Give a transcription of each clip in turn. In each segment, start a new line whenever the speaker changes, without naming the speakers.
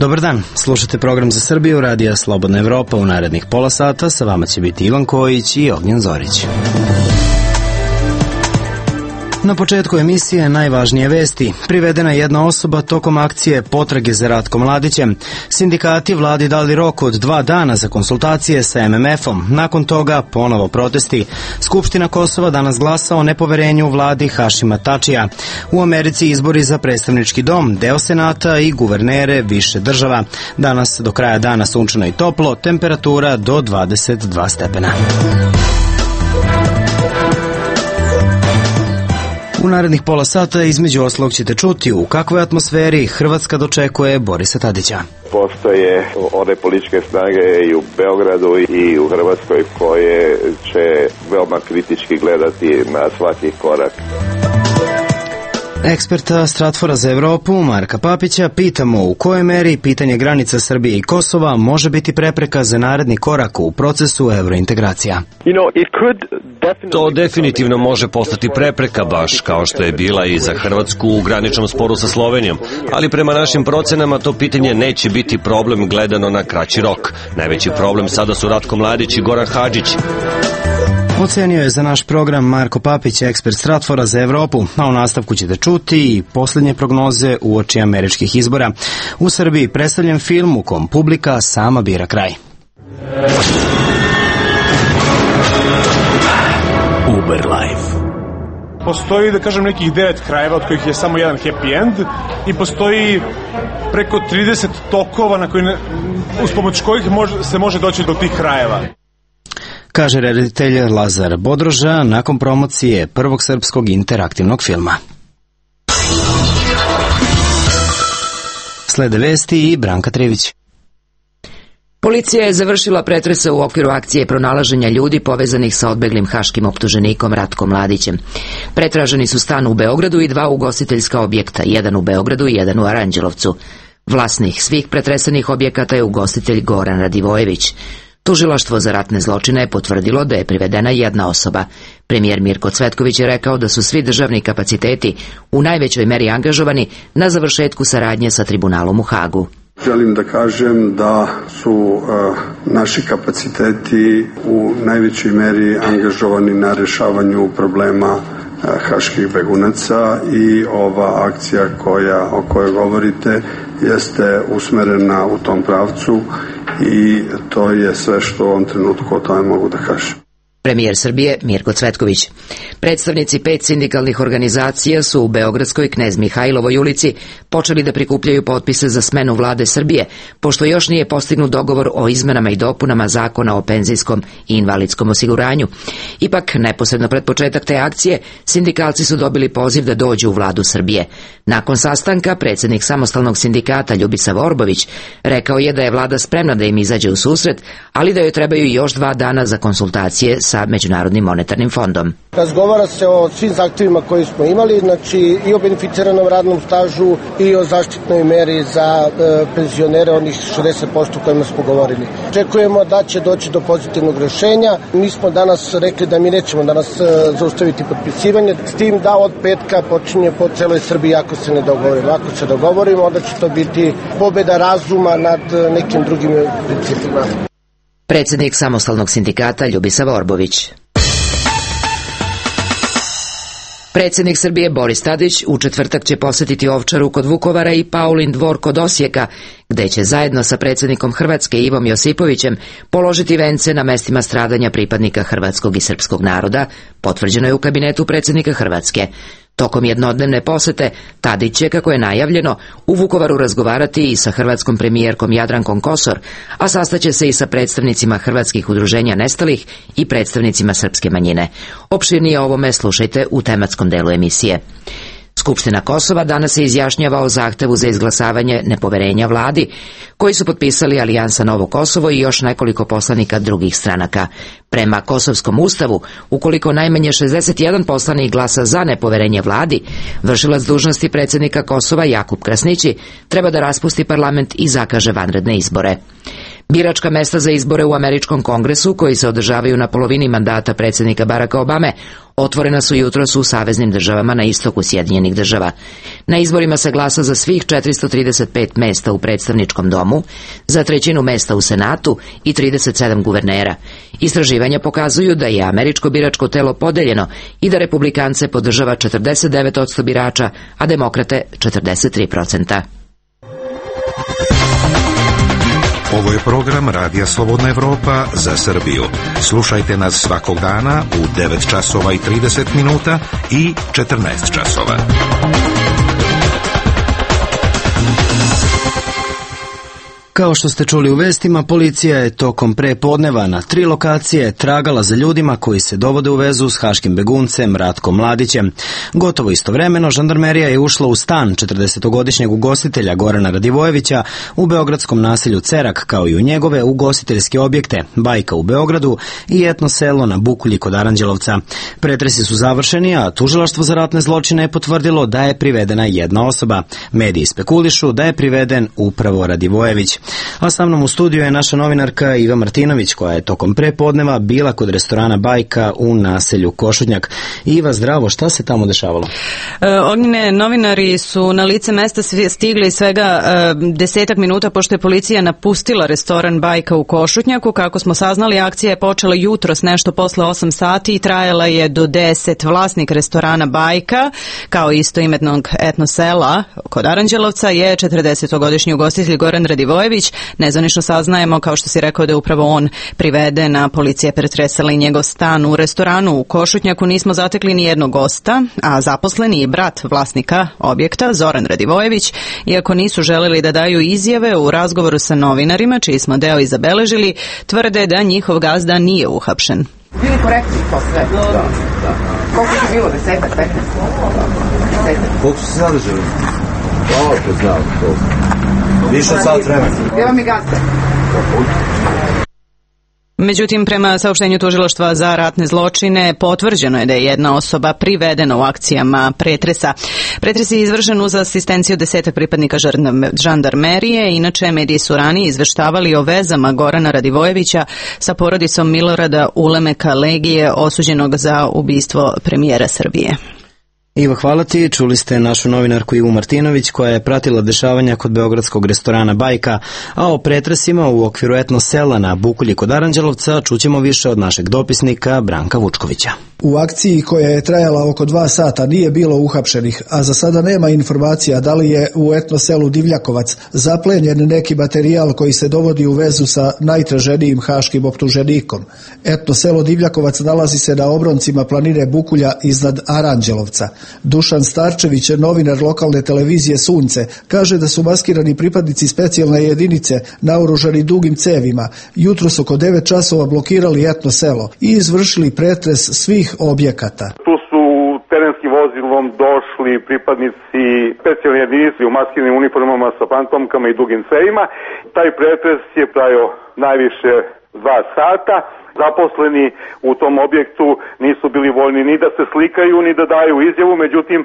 Dobar dan, slušate program za Srbiju, radija Slobodna Evropa. U narednih pola sata sa vama će biti Ivan Kojić i Ognjen Zorić. Na početku emisije najvažnije vesti. Privedena je jedna osoba tokom akcije potrage za Ratkom Mladićem. Sindikati vladi dali rok od 2 dana za konsultacije sa MMF-om. Nakon toga ponovo protesti. Skupština Kosova danas glasa o nepoverenju vladi Hašima Tačija. U Americi izbori za predstavnički dom, deo Senata i guvernere više država. Danas do kraja dana sunčano i toplo, temperatura do 22 stepena. U narednih pola sata između ostalog ćete čuti u kakvoj atmosferi Hrvatska dočekuje Borisa Tadića.
Postoje one političke snage i u Beogradu i u Hrvatskoj koje će veoma kritički gledati na svaki korak.
Eksperta Stratfora za Evropu, Marka Papića, pitamo u kojoj meri pitanje granica Srbije i Kosova može biti prepreka za naredni korak u procesu evrointegracija.
To definitivno može postati prepreka, baš kao što je bila i za Hrvatsku u graničnom sporu sa Slovenijom, ali prema našim procenama to pitanje neće biti problem gledano na kraći rok. Najveći problem sada su Ratko Mladić i Goran Hadžić.
Ocenio je za naš program Marko Papić, ekspert Stratfora za Evropu, a u nastavku ćete čuti i posljednje prognoze uoči američkih izbora. U Srbiji predstavljen film u kom publika sama bira kraj.
Uber Life. Postoji, da kažem, nekih 9 krajeva, od kojih je samo jedan happy end, i postoji preko 30 tokova uz pomoć kojih se može doći do tih krajeva.
Kaže reditelj Lazar Bodroža nakon promocije prvog srpskog interaktivnog filma. Slede vesti i Branka Trivić.
Policija je završila pretrese u okviru akcije pronalaženja ljudi povezanih sa odbeglim haškim optuženikom Ratkom Mladićem. Pretraženi su stan u Beogradu i 2 ugostiteljska objekta, jedan u Beogradu i jedan u Aranđelovcu. Vlasnik svih pretresenih objekata je ugostitelj Goran Radivojević. Tužilaštvo za ratne zločine je potvrdilo da je privedena jedna osoba. Premijer Mirko Cvetković je rekao da su svi državni kapaciteti u najvećoj meri angažovani na završetku saradnje sa tribunalom u Hagu.
Želim da kažem da su naši kapaciteti u najvećoj meri angažovani na rešavanju problema haških begunaca i ova akcija o kojoj govorite jeste usmerena u tom pravcu i to je sve što u ovom trenutku o tome mogu da kažem.
Premijer Srbije Mirko Cvetković. Predstavnici 5 sindikalnih organizacija su u Beogradskoj Knez Mihajlovoj ulici počeli da prikupljaju potpise za smenu vlade Srbije, pošto još nije postignut dogovor o izmenama i dopunama Zakona o penzijskom i invalidskom osiguranju. Ipak, neposredno pred početak te akcije, sindikalci su dobili poziv da dođu u vladu Srbije. Nakon sastanka, predsjednik samostalnog sindikata Ljubisa Vorbović rekao je da je vlada spremna da im izađe u susret, ali da joj trebaju još 2 dana za konsultacije sa Međunarodnim monetarnim fondom.
Razgovara se o svim zahtjevima koji smo imali, znači i o beneficiranom radnom stažu i o zaštitnoj meri za penzionere, onih 60% kojima smo govorili. Očekujemo da će doći do pozitivnog rješenja. Mi smo danas rekli da mi nećemo danas zaustaviti potpisivanje, s tim da od petka počinje po celoj Srbiji ako se ne dogovorimo. Ako se dogovorimo, onda će to biti pobjeda razuma nad nekim drugim principima.
Predsjednik samostalnog sindikata Ljubisa Vorbović. Predsjednik Srbije Boris Tadić u četvrtak će posjetiti Ovčaru kod Vukovara i Paulin dvor kod Osijeka, gde će zajedno sa predsjednikom Hrvatske Ivom Josipovićem položiti vence na mestima stradanja pripadnika hrvatskog i srpskog naroda, potvrđeno je u kabinetu predsjednika Hrvatske. Tokom jednodnevne posete, Tadić će, kako je najavljeno, u Vukovaru razgovarati i sa hrvatskom premijerkom Jadrankom Kosor, a sastaće se i sa predstavnicima hrvatskih udruženja nestalih i predstavnicima srpske manjine. Opširnije o ovome slušajte u tematskom delu emisije. Skupština Kosova danas se izjašnjava o zahtevu za izglasavanje nepoverenja vladi, koji su potpisali Alijansa Novo Kosovo i još nekoliko poslanika drugih stranaka. Prema Kosovskom ustavu, ukoliko najmanje 61 poslanik glasa za nepoverenje vladi, vršilac dužnosti predsjednika Kosova Jakub Krasnići treba da raspusti parlament i zakaže vanredne izbore. Biračka mesta za izbore u Američkom kongresu, koji se održavaju na polovini mandata predsjednika Baracka Obame, otvorena su jutros u saveznim državama na istoku Sjedinjenih država. Na izborima se glasa za svih 435 mesta u predstavničkom domu, za 1/3 mesta u Senatu i 37 guvernera. Istraživanja pokazuju da je američko biračko telo podeljeno i da republikance podržava 49% birača, a demokrate 43%.
Ovo je program Radija Slobodna Evropa za Srbiju. Slušajte nas svakog dana u 9 časova i 30 minuta i 14 časova.
Kao što ste čuli u vestima, policija je tokom prepodneva na 3 lokacije tragala za ljudima koji se dovode u vezu s haškim beguncem Ratkom Mladićem. Gotovo istovremeno, žandarmerija je ušla u stan 40-godišnjeg ugostitelja Gorana Radivojevića u beogradskom naselju Cerak, kao i u njegove ugostiteljske objekte Bajka u Beogradu i etno selo na Bukulji kod Aranđelovca. Pretresi su završeni, a tužilaštvo za ratne zločine je potvrdilo da je privedena jedna osoba. Mediji spekulišu da je priveden upravo Radivojević. A sa mnom u studiju je naša novinarka Iva Martinović, koja je tokom prepodneva bila kod restorana Bajka u naselju Košutnjak. Iva, zdravo, šta se tamo dešavalo?
Ognjene, novinari su na lice mesta stigli svega 10 minuta pošto je policija napustila restoran Bajka u Košutnjaku. Kako smo saznali, akcija je počela jutros nešto posle 8 sati i trajala je do 10. Vlasnik restorana Bajka, kao istoimetnog etno sela kod Aranđelovca, je 40-godišnji ugostitelj Goran Radivojević. Nezvanično saznajemo, kao što si rekao, da je upravo on priveden, a policija je pretresala i njegov stan. U restoranu u Košutnjaku nismo zatekli ni jednog gosta, a zaposleni i brat vlasnika objekta, Zoran Radivojević, iako nisu želeli da daju izjave, u razgovoru sa novinarima, čiji smo deo i zabeležili, tvrde da njihov gazda nije uhapšen.
Bili korektni to sve? Da. Koliko je bilo? 10, 15?
Koliko su se zadržali? To znam, to. Više sat vremena.
Gdje vam je gazda?
Međutim, prema saopštenju tužilaštva za ratne zločine, potvrđeno je da je jedna osoba privedena u akcijama pretresa. Pretres je izvršen uz asistenciju 10 pripadnika žandarmerije. Inače, mediji su ranije izveštavali o vezama Gorana Radivojevića sa porodicom Milorada Ulemeka Legije, osuđenog za ubistvo premijera Srbije.
Ivo, hvala ti. Čuli ste našu novinarku Ivu Martinović, koja je pratila dešavanja kod beogradskog restorana Bajka, a o pretresima u okviru etno sela na Bukulji kod Aranđelovca čućemo više od našeg dopisnika Branka Vučkovića.
U akciji koja je trajala oko 2 sata nije bilo uhapšenih, a za sada nema informacija da li je u etno selu Divljakovac zaplenjen neki materijal koji se dovodi u vezu sa najtraženijim haškim optuženikom. Etno selo Divljakovac nalazi se na obroncima planine Bukulja iznad Aranđelovca. Dušan Starčević, novinar lokalne televizije Sunce, kaže da su maskirani pripadnici specijalne jedinice naoružani dugim cevima jutros oko 9 časova blokirali etno selo i izvršili pretres svih objekata.
Tu su terenskim vozilom došli pripadnici specijalne jedinice u maskiranim uniformama sa fantomkama i dugim cevima. Taj pretres je trajao najviše 2 sata. Zaposleni u tom objektu nisu bili voljni ni da se slikaju, ni da daju izjavu, međutim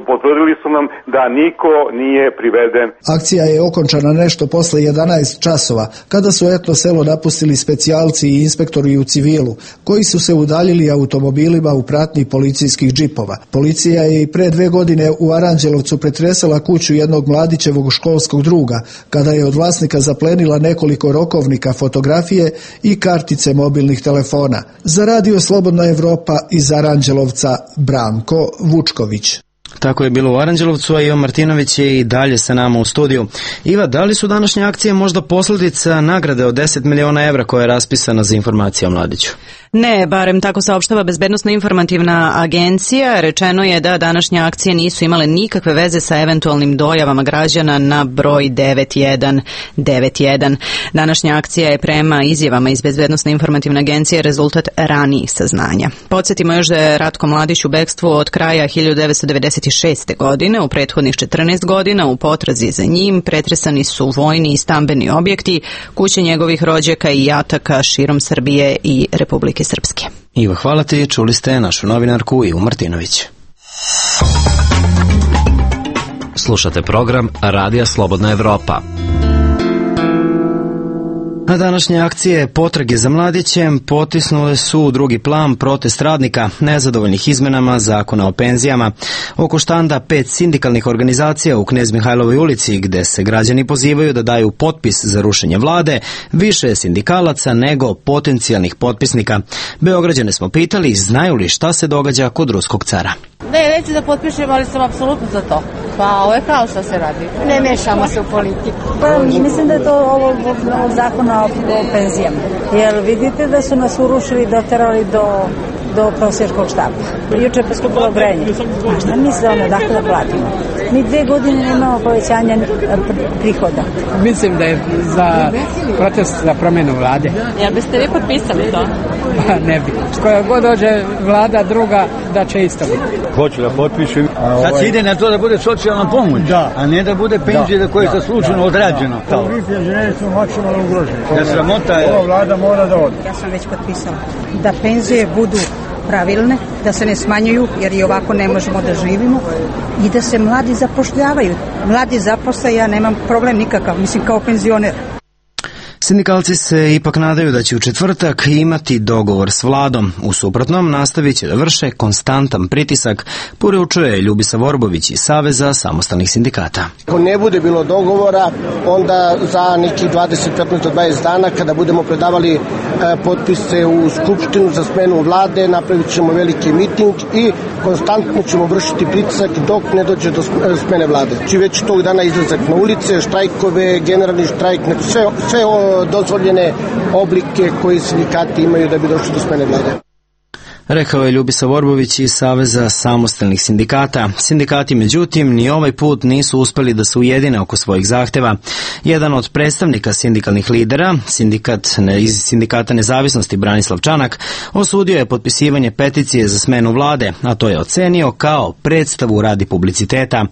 potvrdili su nam da niko nije priveden.
Akcija je okončana nešto posle 11 časova, kada su etno selo napustili specijalci i inspektori u civilu, koji su se udaljili automobilima u pratnji policijskih džipova. Policija je i pre 2 godine u Aranđelovcu pretresala kuću jednog Mladićevog školskog druga, kada je od vlasnika zaplenila nekoliko rokovnika, fotografije i kartice mobilnih telefona. Za Radio Slobodna Evropa iz Aranđelovca, Branko Vučković.
Tako je bilo u Aranđelovcu, a Iva Martinović je i dalje sa nama u studiju. Iva, da li su današnje akcije možda posljedica nagrade od 10 miliona evra koja je raspisana za informacije o Mladiću?
Ne, barem tako saopštava Bezbednosno-informativna agencija. Rečeno je da današnje akcije nisu imale nikakve veze sa eventualnim dojavama građana na broj 9191. Današnja akcija je prema izjavama iz Bezbednosno-informativne agencije rezultat ranijih saznanja. Podsjetimo još da je Ratko Mladić u bekstvu od kraja 1996. godine. U prethodnih 14 godina u potrazi za njim pretresani su vojni i stambeni objekti, kuće njegovih rođaka i jataka širom Srbije i Republike Srpske.
Iva, hvala ti. Čuli ste našu novinarku Ivu Martinović.
Slušate program Radija Slobodna Evropa.
A današnje akcije potrage za mladićem potisnule su u drugi plan protest radnika nezadovoljnih izmenama zakona o penzijama. Oko štanda 5 sindikalnih organizacija u Knez Mihajlovoj ulici, gde se građani pozivaju da daju potpis za rušenje vlade, više je sindikalaca nego potencijalnih potpisnika. Beograđane smo pitali znaju li šta se događa kod ruskog cara.
Ne, neću da potpišem, ali sam apsolutno za to. Pa ovo je kao što se radi. Ne mešamo se u politiku.
Pa mislim da je to ovo zakona o penzijama. Jer vidite da su nas urušili, doterali do prosječkog štapa. Juče je poskupilo grejanje. A šta misle dakle da platimo? Mi 2 godine nemamo povećanja prihoda.
Mislim da je za protest za promjenu vlade.
Ja biste vi potpisali to?
Pa ne bi. Koja god dođe vlada druga da će isto biti.
Hoću da potpišem. Sad se ide na to da bude socijalna pomoć, a ne da bude penzija koja je zasluženo odrađena.
Vi penzioneri su maksimalno ugroženi.
Da sramota je.
Ova vlada mora da ode.
Ja sam već potpisala da penzije budu pravilne, da se ne smanjuju jer i ovako ne možemo da živimo i da se mladi zapošljavaju. Mladi zaposle, ja nemam problem nikakav, mislim kao penzioner.
Sindikalci se ipak nadaju da će u četvrtak imati dogovor s vladom. U suprotnom nastavit će da vrše konstantan pritisak, poručuje Ljubisa Vorbović iz Saveza samostalnih sindikata.
Ako ne bude bilo dogovora, onda za neki 20, 15 do 20 dana kada budemo predavali potpise u Skupštinu za smenu vlade, napravit ćemo veliki miting i konstantno ćemo vršiti pritisak dok ne dođe do smene vlade. Či već tog dana izlazak na ulice, štrajkove, generalni štrajk, sve dozvoljene oblike koji sindikati imaju da bi došli do smene vlade.
Rekao je Ljubisa Vorbović iz Saveza samostalnih sindikata. Sindikati, međutim, ni ovaj put nisu uspeli da se ujedine oko svojih zahteva. Jedan od predstavnika sindikalnih lidera, iz Sindikata nezavisnosti Branislav Čanak, osudio je potpisivanje peticije za smenu vlade, a to je ocenio kao predstavu radi publiciteta.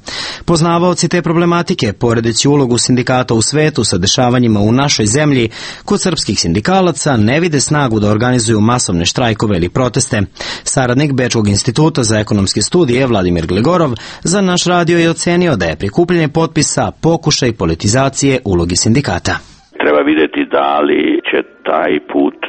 Poznavaoci te problematike, poredeći ulogu sindikata u svetu sa dešavanjima u našoj zemlji, kod srpskih sindikalaca ne vide snagu da organizuju masovne štrajkove ili proteste. Saradnik Bečkog instituta za ekonomske studije Vladimir Gligorov za naš radio je ocenio da je prikupljanje potpisa pokušaj politizacije uloge sindikata.
Treba vidjeti da li će taj put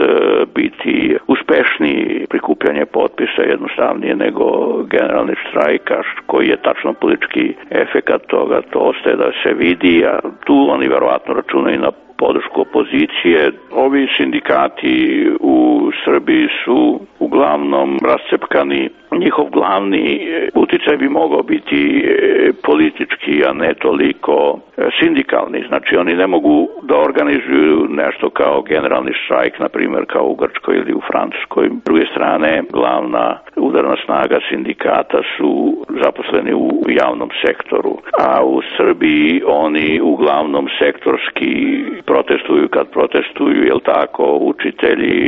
biti uspešniji prikupljanje potpisa jednostavnije nego generalni štrajk, koji je tačno politički efekat toga, to ostaje da se vidi, a tu oni verovatno računaju na podršku opozicije. Ovi sindikati u Srbiji su uglavnom rascepkani. Njihov glavni uticaj bi mogao biti politički, a ne toliko sindikalni. Znači oni ne mogu da organizuju nešto kao generalni štrajk, na primjer kao u Grčkoj ili u Francuskoj. S druge strane, glavna udarna snaga sindikata su zaposleni u javnom sektoru, a u Srbiji oni uglavnom sektorski protestuju kad protestuju, jel tako, učitelji,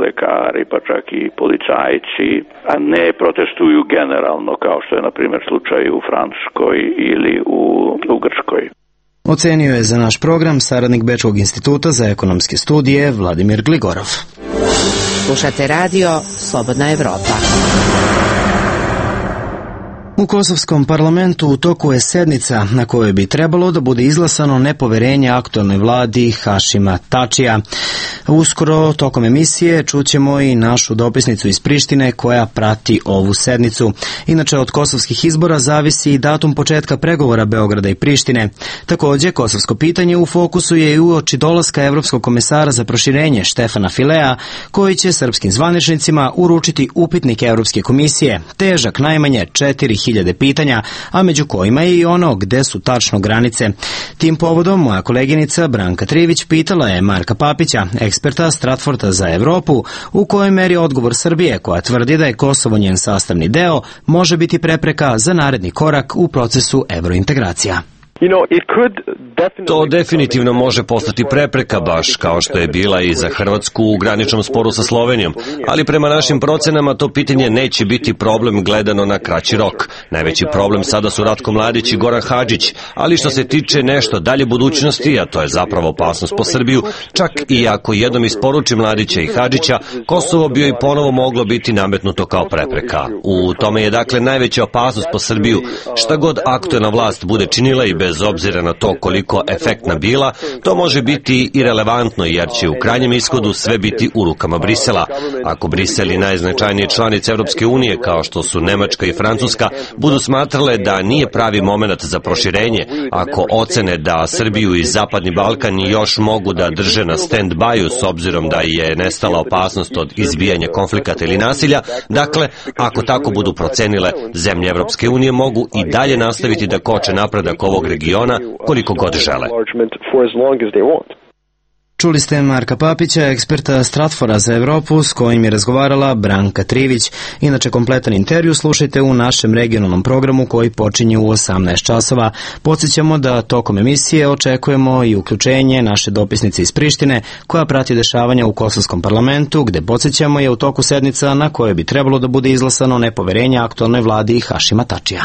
lekari, pa čak i policajci, a ne protestuju generalno kao što je na primjer slučaj u Francuskoj ili u Grčkoj.
Ocenio je za naš program saradnik Bečkog instituta za ekonomske studije Vladimir Gligorov.
Slušate radio Slobodna Evropa.
U kosovskom parlamentu u toku je sednica na kojoj bi trebalo da bude izglasano nepoverenje aktuelnoj vladi Hašima Tačija. Uskoro, tokom emisije, čućemo i našu dopisnicu iz Prištine koja prati ovu sednicu. Inače, od kosovskih izbora zavisi i datum početka pregovora Beograda i Prištine. Također, kosovsko pitanje u fokusu je i uoči dolaska Evropskog komesara za proširenje Štefana Filea, koji će srpskim zvaničnicima uručiti upitnik Evropske komisije, težak najmanje 4000 pitanja, a među kojima je i ono gde su tačno granice. Tim povodom moja koleginica Branka Trivić pitala je Marka Papića, eksperta Stratforda za Evropu, u kojoj meri odgovor Srbije, koja tvrdi da je Kosovo njen sastavni deo, može biti prepreka za naredni korak u procesu evrointegracija.
To definitivno može postati prepreka, baš kao što je bila i za Hrvatsku u graničnom sporu sa Slovenijom, ali prema našim procenama to pitanje neće biti problem gledano na kraći rok. Najveći problem sada su Ratko Mladić i Goran Hadžić, ali što se tiče nešto dalje budućnosti, a to je zapravo opasnost po Srbiju, čak i ako jednom isporuči Mladića i Hadžića, Kosovo bi joj ponovo moglo biti nametnuto kao prepreka. U tome je dakle najveća opasnost po Srbiju, šta god aktuelna vlast bude činila i bez bez obzira na to koliko efektna bila, to može biti i relevantno jer će u krajnjem ishodu sve biti u rukama Brisela. Ako Brisel i najznačajnije članice Evropske unije, kao što su Nemačka i Francuska, budu smatrale da nije pravi moment za proširenje, ako ocene da Srbiju i Zapadni Balkan još mogu da drže na stand-byu s obzirom da je nestala opasnost od izbijanja konflikata ili nasilja, dakle, ako tako budu procenile, zemlje Evropske unije mogu i dalje nastaviti da koče napredak ovog regiona koliko god žele.
Čuli ste Marka Papića, eksperta Stratfora za Evropu, s kojim je razgovarala Branka Trivić. Inače, kompletan intervju slušajte u našem regionalnom programu koji počinje u 18 časova. Podsjećamo da tokom emisije očekujemo i uključenje naše dopisnice iz Prištine, koja prati dešavanja u Kosovskom parlamentu, gde podsjećamo je u toku sednica na kojoj bi trebalo da bude izglasano nepoverenje aktualnoj vladi Hašima Tačija.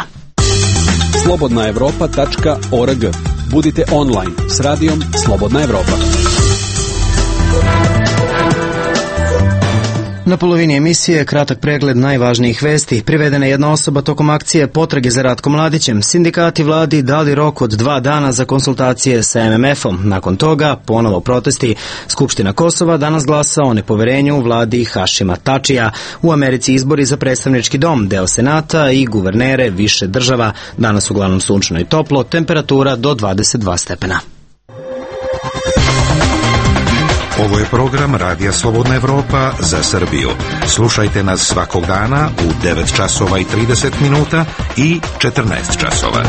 slobodnaevropa.org. Budite online s radijom Slobodna Evropa.
Na polovini emisije kratak pregled najvažnijih vesti. Privedena je jedna osoba tokom akcije potrage za Ratkom Mladićem. Sindikati vladi dali rok od 2 dana za konsultacije sa MMF-om. Nakon toga ponovo protesti. Skupština Kosova danas glasa o nepoverenju vladi Hašima Tačija. U Americi izbori za predstavnički dom, deo senata i guvernere više država. Danas uglavnom sunčno i toplo, temperatura do 22 stepena.
Ovo je program Radija Slobodna Evropa za Srbiju. Slušajte nas svakog dana u 9 časova i 30 minuta i 14 časova.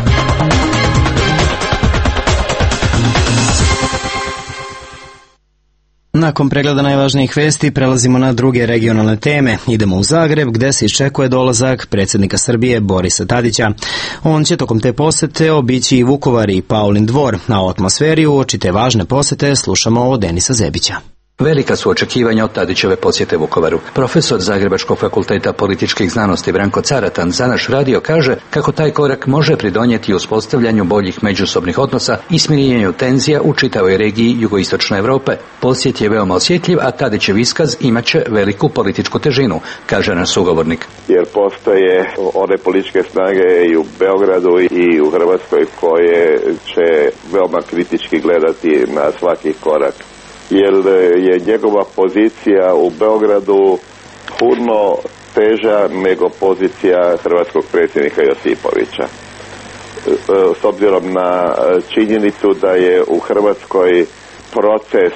Nakon pregleda najvažnijih vesti prelazimo na druge regionalne teme. Idemo u Zagreb gde se iščekuje dolazak predsjednika Srbije Borisa Tadića. On će tokom te posete obići i Vukovar i Paulin dvor, a o atmosferi uoči te važne posete slušamo od Denisa Zebića.
Velika su očekivanja od Tadićeve posjete Vukovaru. Profesor Zagrebačkog fakulteta političkih znanosti Branko Caratan za naš radio kaže kako taj korak može pridonijeti uspostavljanju boljih međusobnih odnosa i smirjenju tenzija u čitavoj regiji jugoistočne Europe. Posjet je veoma osjetljiv, a Tadićev iskaz imaće veliku političku težinu, kaže naš sugovornik.
Jer postoje one političke snage i u Beogradu i u Hrvatskoj koje će veoma kritički gledati na svaki korak. Jer je njegova pozicija u Beogradu puno teža nego pozicija hrvatskog predsjednika Josipovića. S obzirom na činjenicu da je u Hrvatskoj proces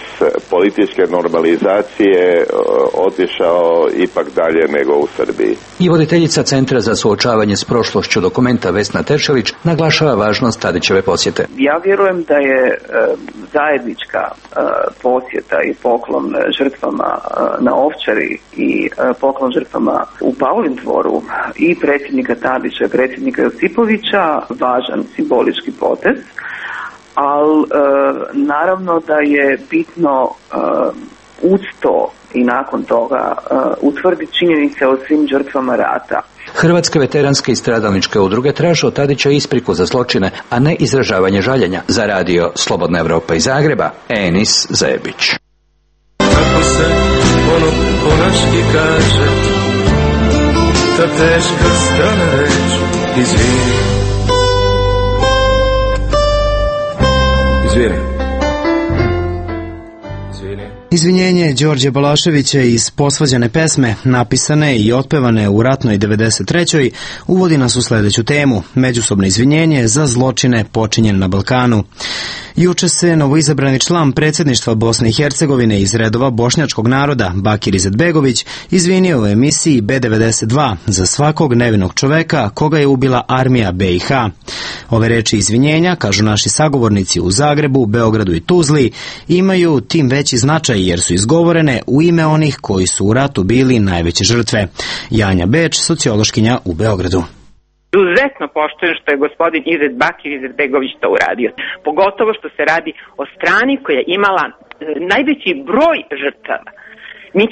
političke normalizacije otišao ipak dalje nego u Srbiji.
I voditeljica Centra za suočavanje s prošlošću Dokumenta Vesna Teršelić naglašava važnost Tadićeve posjete.
Ja vjerujem da je zajednička posjeta i poklon žrtvama na Ovčari i poklon žrtvama u Paulin dvoru i predsjednika Tadića i predsjednika Josipovića važan simbolički potez. Ali naravno da je bitno uz to i nakon toga utvrditi činjenice o svim žrtvama rata.
Hrvatske veteranske i stradalničke udruge traže od Tadića ispriku za zločine, a ne izražavanje žaljenja. Za radio Slobodna Evropa iz Zagreba, Enis Zebić.
Kako se ono ponački kaže, ta teška strana reč, izvini.
Izvinjenje Đorđe Balaševića iz posvađane pesme, napisane i otpevane u ratnoj 93. uvodi nas u sledeću temu, međusobno izvinjenje za zločine počinjen na Balkanu. Juče se novoizabrani član predsjedništva Bosne i Hercegovine iz redova bošnjačkog naroda, Bakir Izetbegović, izvinio u emisiji B92 za svakog nevinog čoveka koga je ubila armija BiH. Ove reči izvinjenja, kažu naši sagovornici u Zagrebu, Beogradu i Tuzli, imaju tim veći značaj jer su izgovorene u ime onih koji su u ratu bili najveće žrtve. Janja Beč, sociološkinja u Beogradu.
Izuzetno poštujem što je gospodin Bakir Izetbegović to uradio. Pogotovo što se radi o strani koja je imala najveći broj žrtava. Mi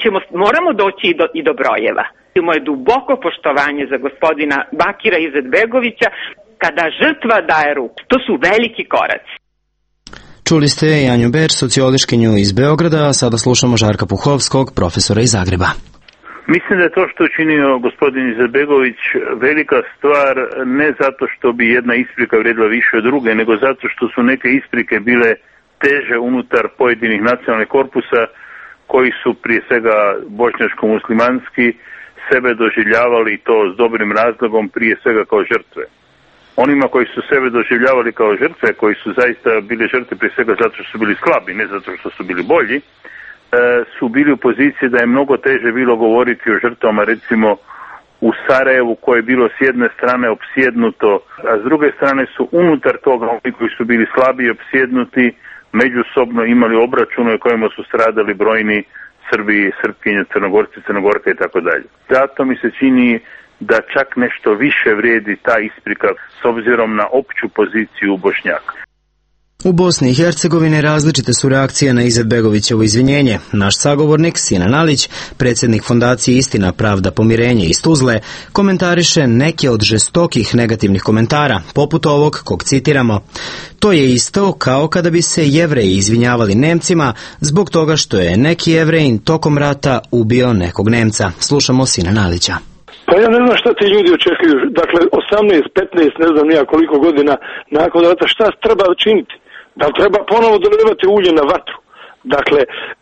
moramo doći i do brojeva. Moje duboko poštovanje za gospodina Bakira Izetbegovića kada žrtva daje ruku. To su veliki koraci.
Čuli ste Janju Beč, sociološkinju iz Beograda, a sada slušamo Žarka Puhovskog, profesora iz Zagreba.
Mislim da je to što je učinio gospodin Izetbegović velika stvar, ne zato što bi jedna isprika vrijedila više od druge, nego zato što su neke isprike bile teže unutar pojedinih nacionalnih korpusa koji su prije svega bošnjačko-muslimanski sebe doživljavali, i to s dobrim razlogom, prije svega kao žrtve. Onima koji su sebe doživljavali kao žrtve, koji su zaista bili žrtve prije svega zato što su bili slabi, ne zato što su bili bolji, su bili u poziciji da je mnogo teže bilo govoriti o žrtvama, recimo u Sarajevu, koje je bilo s jedne strane opsjednuto, a s druge strane su unutar toga oni koji su bili slabi i opsjednuti međusobno imali obračune u kojima su stradali brojni Srbi, Srpkinje, Crnogorci, Crnogorke i tako dalje. Zato mi se čini da čak nešto više vrijedi ta isprika s obzirom na opću poziciju Bošnjaka.
U Bosni i Hercegovini različite su reakcije na Izetbegovićevo izvinjenje. Naš sagovornik Sinan Alić, predsjednik fondacije Istina, Pravda, Pomirenje iz Tuzle, komentariše neke od žestokih negativnih komentara, poput ovog kog citiramo. To je isto kao kada bi se Jevreji izvinjavali Nemcima zbog toga što je neki Jevrejin tokom rata ubio nekog Nemca. Slušamo Sinan Alića.
Pa ja ne znam šta ti ljudi očekuju. Dakle, 18, 15, ne znam nija koliko godina nakon rata, šta treba činiti? Da li treba ponovo dolijevati ulje na vatru? Dakle,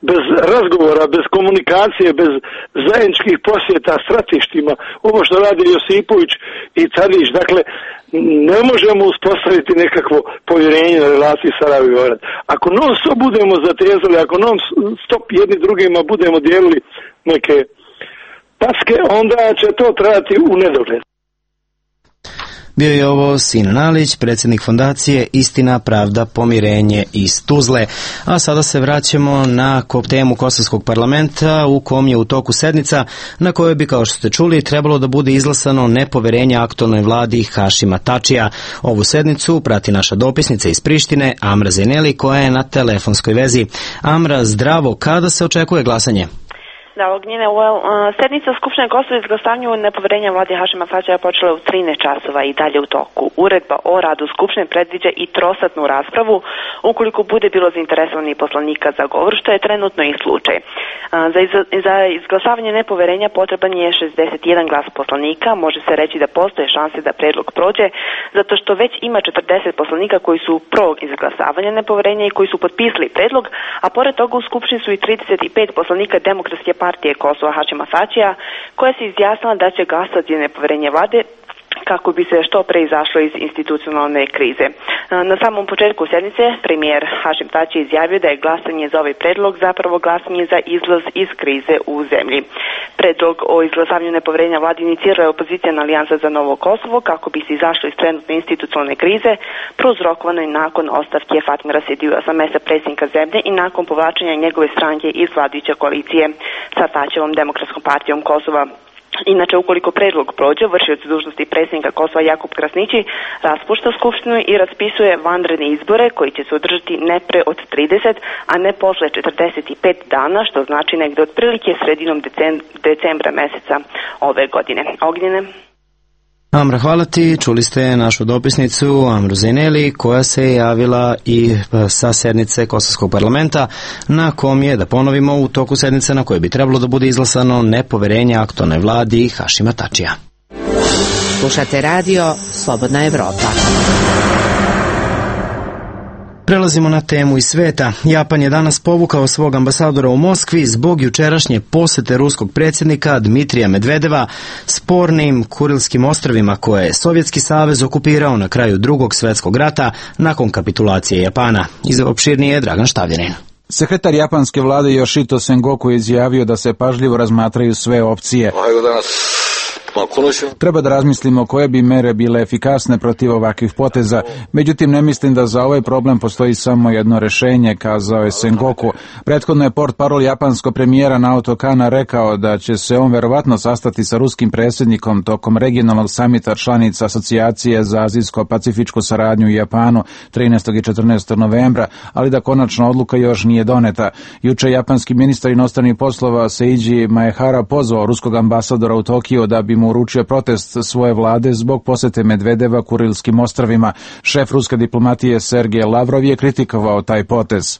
bez razgovora, bez komunikacije, bez zajedničkih posjeta stratištima, ovo što radi Josipović i Tadić, dakle, ne možemo uspostaviti nekakvo povjerenje na relaciji Sarajevo i Beograd. Ako non stop budemo zatezali, ako non stop jedni drugima budemo dijelili neke paske, onda će to trajati u nedogled.
Bio je ovo Sinan Alić, predsjednik fondacije Istina, Pravda, Pomirenje iz Tuzle. A sada se vraćamo na temu Kosovskog parlamenta u kom je u toku sednica na kojoj bi, kao što ste čuli, trebalo da bude izglasano nepoverenje aktualnoj vladi Hašima Tačija. Ovu sednicu prati naša dopisnica iz Prištine, Amra Zeneli, koja je na telefonskoj vezi. Amra, zdravo, kada se očekuje glasanje?
Da, Ognjene, sednica Skupštine Kosova izglasavanju nepoverenja vladi Hašima Tačija počela u 13 časova i dalje u toku. Uredba o radu Skupštine predviđa i trosatnu raspravu ukoliko bude bilo zainteresovanih poslanika za govor, što je trenutno i slučaj. Za izglasavanje nepoverenja potreban je 61 glas poslanika. Može se reći da postoje šanse da predlog prođe, zato što već ima 40 poslanika koji su pro izglasavanja nepoverenja i koji su potpisali predlog, a pored toga u Skupštini su i 35 poslanika Demokratske partije Kosova Hašima Tačija, koja se izjasnila da će glasati za nepoverenje vlade kako bi se što pre izašlo iz institucionalne krize. Na samom početku sednice premijer Hašim Tači izjavio da je glasanje za ovaj predlog zapravo glasanje za izlaz iz krize u zemlji. Predlog o izglasavanju nepoverenja vladi inicirala je opozicijna alijansa za novo Kosovo kako bi se izašlo iz trenutne institucionalne krize, prouzrokovano i nakon ostavke Fatmira Sedija sa mesta predsjednika zemlje i nakon povlačenja njegove stranke iz vladajuće koalicije sa Tačevom Demokratskom partijom Kosova. Inače, ukoliko predlog prođe, vršioc dužnosti predsjednika Kosova Jakub Krasnići raspušta Skupštinu i raspisuje vanredne izbore koji će se održati ne pre od 30, a ne posle 45 dana, što znači negde otprilike sredinom decembra meseca ove godine. Ognjene.
Amra, hvala ti. Čuli ste našu dopisnicu Amru Zeneli, koja se je javila i sa sednice Kosovskog parlamenta, na kom je, da ponovimo, u toku sednice na kojoj bi trebalo da bude izglasano nepoverenje aktualnoj vladi Hašima Tačija.
Slušate radio Slobodna Evropa.
Prelazimo na temu iz sveta. Japan je danas povukao svog ambasadora u Moskvi zbog jučerašnje posete ruskog predsjednika Dmitrija Medvedeva spornim Kurilskim ostrvima koje je Sovjetski savez okupirao na kraju Drugog svjetskog rata nakon kapitulacije Japana. Opširnije je Dragan Štavljanin.
Sekretar japanske vlade Yoshito Sengoku je izjavio da se pažljivo razmatraju sve opcije. Treba da razmislimo koje bi mere bile efikasne protiv ovakvih poteza. Međutim, ne mislim da za ovaj problem postoji samo jedno rešenje, kazao je Sengoku. Prethodno je portparol japanskog premijera Naoto Kana rekao da će se on verovatno sastati sa ruskim predsjednikom tokom regionalnog samita članica Asocijacije za azijsko-pacifičku saradnju u Japanu 13. i 14. novembra, ali da konačna odluka još nije doneta. Juče japanski ministar inostranih poslova Seiji Maehara pozvao ruskog ambasadora u Tokiju da bi mu uručio protest svoje vlade zbog posete Medvedeva Kurilskim ostrvima. Šef ruske diplomatije Sergej Lavrov je kritikovao taj potez.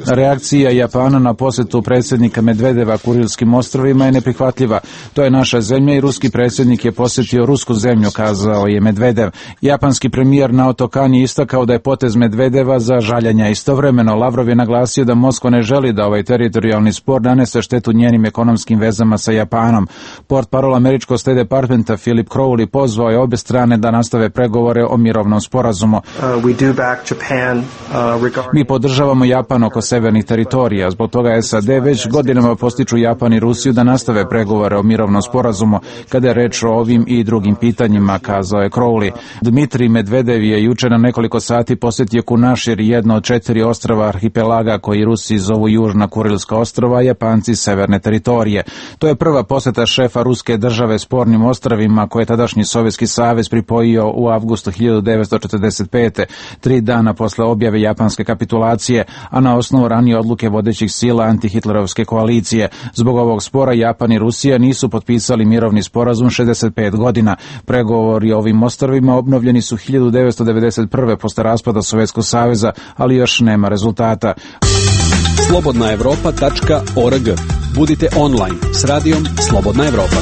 Reakcija Japana na posjetu predsjednika Medvedeva Kurilskim ostrvima je neprihvatljiva. To je naša zemlja i ruski predsjednik je posjetio rusku zemlju, kazao je Medvedev. Japanski premijer Naoto Kan je istakao da je potez Medvedeva za žaljenja. Istovremeno Lavrov je naglasio da Moskva ne želi da ovaj teritorijalni spor nanese štetu njenim ekonomskim vezama sa Japanom. Portparol američkog State Departmenta Philip Crowley pozvao je obje strane da nastave pregovore o mirovnom sporazumu. Mi podržavamo Japan oko severnih teritorija, zbog toga SAD već godinama postiču Japan i Rusiju da nastave pregovore o mirovnom sporazumu kada je reč o ovim i drugim pitanjima, kazao je Crowley. Dmitrij Medvedev je juče na nekoliko sati posjetio Kunašir, jedno od 4 ostrava arhipelaga koji Rusi zovu Južna Kurilska ostrava, a Japanci severne teritorije. To je prva posjeta šefa ruske države spornim ostrvima koje je tadašnji Sovjetski savez pripojio u avgustu 1945. 3 dana posle objave japanske kapitulacije, a na osnovu ranije odluke vodećih sila antihitlerovske koalicije. Zbog ovog spora Japan i Rusija nisu potpisali mirovni sporazum 65 godina. Pregovori o ovim ostrvima obnovljeni su 1991. posle raspada Sovjetskog saveza, ali još nema rezultata.
slobodnaevropa.org. Budite online s radijom Slobodna Evropa.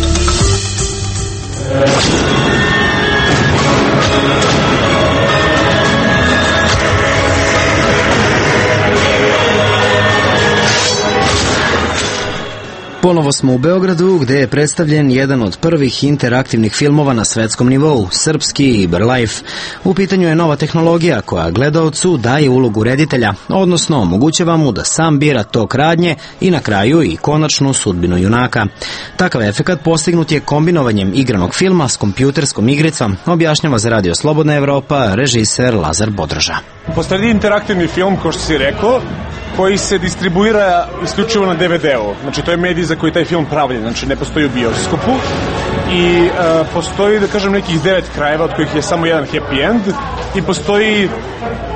Ponovo smo u Beogradu, gde je predstavljen jedan od prvih interaktivnih filmova na svetskom nivou, srpski Iberlife. U pitanju je nova tehnologija koja gledaocu daje ulogu reditelja, odnosno omogućava mu da sam bira tok radnje i na kraju i konačnu sudbinu junaka. Takav efekat postignut je kombinovanjem igranog filma s kompjuterskom igricom, objašnjava za Radio Slobodna Evropa režiser Lazar Bodroža.
Postoji interaktivni film, kao što si rekao, koji se distribuira isključivo na DVD-u. Znači, to je medij za koji taj film pravljen, znači ne postoji u bioskopu. I postoji, da kažem, nekih 9 krajeva, od kojih je samo jedan happy end, i postoji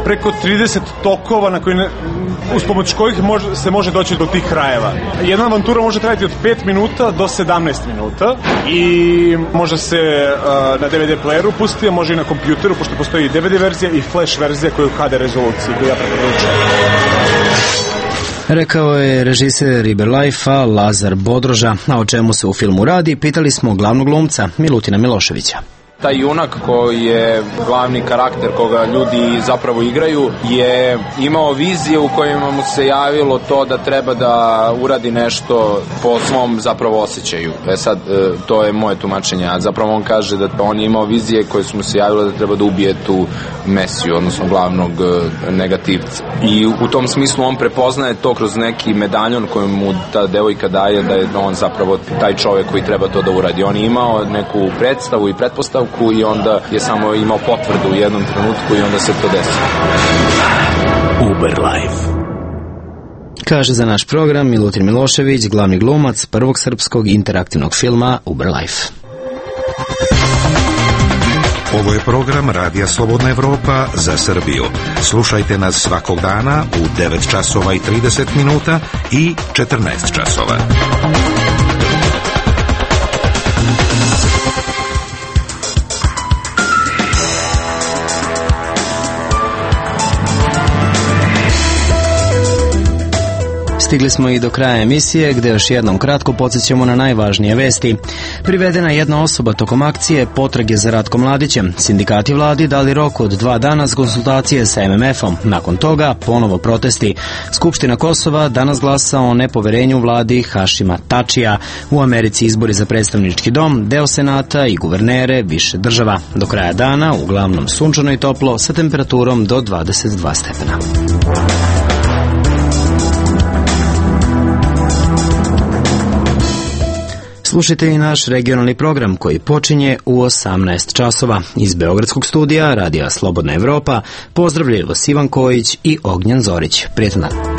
preko 30 tokova na koji uz pomoć kojih se može doći do tih krajeva. Jedna avantura može trajati od 5 minuta do 17 minuta i može se na DVD playeru pustiti, a može i na kompjuteru, pošto postoji i DVD verzija i flash verzija koja je u HD rezoluciji, koju ja preporučujem.
Rekao je režiser Iberlife-a Lazar Bodroža, a o čemu se u filmu radi, pitali smo glavnog glumca Milutina Miloševića.
Taj junak koji je glavni karakter koga ljudi zapravo igraju je imao vizije u kojima mu se javilo to da treba da uradi nešto po svom zapravo osjećaju. Sad, to je moje tumačenje, a zapravo on kaže da on je imao vizije koje su mu se javile da treba da ubije tu Mesiju, odnosno glavnog negativca. I u tom smislu on prepoznaje to kroz neki medaljon koji mu ta devojka daje, da je on zapravo taj čovjek koji treba to da uradi. On je imao neku predstavu i pretpostavku i onda je samo imao potvrdu u jednom trenutku i onda se to desi.
Uberlife. Kaže za naš program Milutin Milošević, glavni glumac prvog srpskog interaktivnog filma Uberlife.
Ovo je program Radija Slobodna Evropa za Srbiju. Slušajte nas svakog dana u 9 časova i 30 minuta i 14 časova.
Stigli smo i do kraja emisije, gde još jednom kratko podsjećamo na najvažnije vesti. Privedena je jedna osoba tokom akcije potrage za Ratkom Mladićem. Sindikati vladi dali rok od 2 dana za konsultacije sa MMF-om. Nakon toga ponovo protesti. Skupština Kosova danas glasa o nepoverenju vladi Hašima Tačija. U Americi izbori za predstavnički dom, deo senata i guvernere više država. Do kraja dana uglavnom sunčano i toplo sa temperaturom do 22 stepena. Slušajte i naš regionalni program koji počinje u 18 časova. Iz Beogradskog studija Radija Slobodna Evropa pozdravljaju vas Ivan Kojić i Ognjen Zorić. Prijetan dan.